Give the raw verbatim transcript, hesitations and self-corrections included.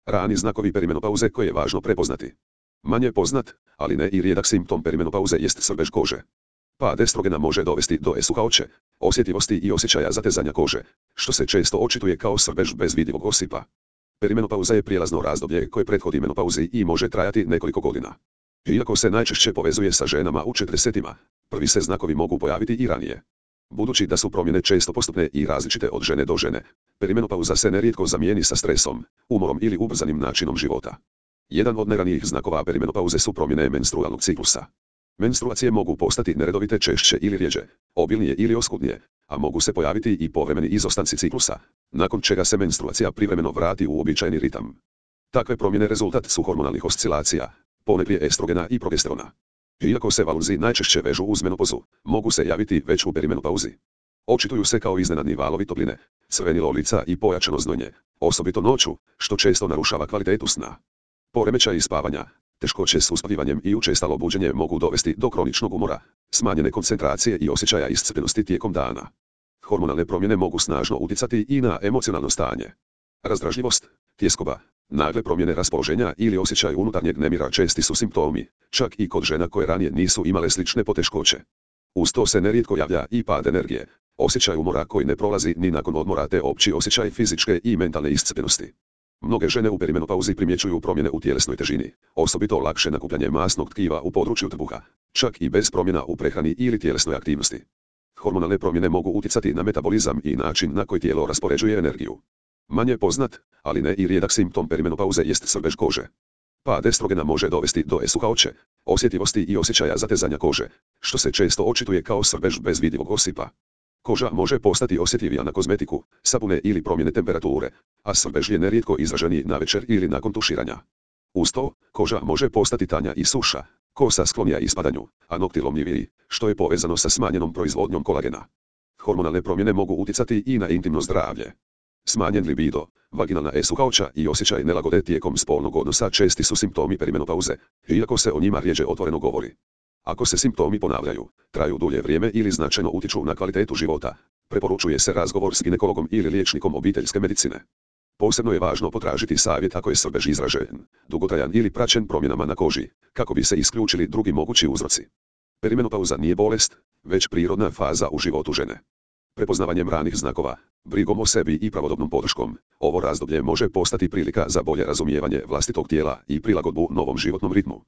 Rani znakovi perimenopauze koje je važno prepoznati. Manje poznat, ali ne i rijedak simptom perimenopauze jest svrbež kože. Pad estrogena može dovesti do esuhaoće, osjetljivosti i osjećaja zatezanja kože, što se često očituje kao svrbež bez vidljivog osipa. Perimenopauza je prijelazno razdoblje koje prethodi menopauzi i može trajati nekoliko godina. Iako se najčešće povezuje sa ženama u četrdesetima, prvi se znakovi mogu pojaviti i ranije. Budući da su promjene često postupne i različite od žene do žene, perimenopauza se nerijetko zamijeni sa stresom, umorom ili ubrzanim načinom života. Jedan od najranijih znakova perimenopauze su promjene menstrualnog ciklusa. Menstruacije mogu postati neredovite češće ili rjeđe, obilnije ili oskudnije, a mogu se pojaviti i povremeni izostanci ciklusa, nakon čega se menstruacija privremeno vrati u uobičajeni ritam. Takve promjene rezultat su hormonalnih oscilacija, ponajprije estrogena i progesterona. Iako se valurzi najčešće vežu uz menopauzu, mogu se javiti već u perimenopauzi. Očituju se kao iznenadni valovi topline, crvenilo lica i pojačano znojnje, osobito noću, što često narušava kvalitetu sna. Poremećaji spavanja, teškoće s uspavanjem i učestalo buđenje mogu dovesti do kroničnog umora, smanjene koncentracije i osjećaja iscrpljenosti tijekom dana. Hormonalne promjene mogu snažno utjecati i na emocionalno stanje. Razdražljivost, tjeskoba, nagle promjene raspoloženja ili osjećaj unutarnjeg nemira česti su simptomi, čak i kod žena koje ranije nisu imale slične poteškoće. Uz to se nerijetko javlja i pad energije, osjećaj umora koji ne prolazi ni nakon odmora te opći osjećaj fizičke i mentalne iscrpljenosti. Mnoge žene u perimenopauzi primjećuju promjene u tjelesnoj težini, osobito lakše nakupljanje masnog tkiva u području trbuha, čak i bez promjena u prehrani ili tjelesnoj aktivnosti. Hormonalne promjene mogu utjecati na metabolizam i način na koji tijelo raspoređuje energiju. Manje poznat, ali ne i rijedak simptom perimenopauze jest svrbež kože. Pad estrogena može dovesti do esuhaoće, osjetljivosti i osjećaja zatezanja kože, što se često očituje kao svrbež bez vidljivog osipa. Koža može postati osjetljivija na kozmetiku, sapune ili promjene temperature, a svrbež je nerijetko izraženiji navečer ili nakon tuširanja. Uz to, koža može postati tanja i suša, kosa sklonija ispadanju, a nokti lomljiviji, što je povezano sa smanjenom proizvodnjom kolagena. Hormonalne promjene mogu utjecati i na intimno zdravlje. Smanjen libido, vaginalna esuhaoća i osjećaj nelagode tijekom spolnog odnosa česti su simptomi perimenopauze, iako se o njima rjeđe otvoreno govori. Ako se simptomi ponavljaju, traju dulje vrijeme ili značajno utječu na kvalitetu života, preporučuje se razgovor s ginekologom ili liječnikom obiteljske medicine. Posebno je važno potražiti savjet ako je svrbež izražen, dugotrajan ili praćen promjenama na koži, kako bi se isključili drugi mogući uzroci. Perimenopauza nije bolest, već prirodna faza u životu žene. Prepoznavanjem ranih znakova, brigom o sebi i pravodobnom podrškom, ovo razdoblje može postati prilika za bolje razumijevanje vlastitog tijela i prilagodbu novom životnom ritmu.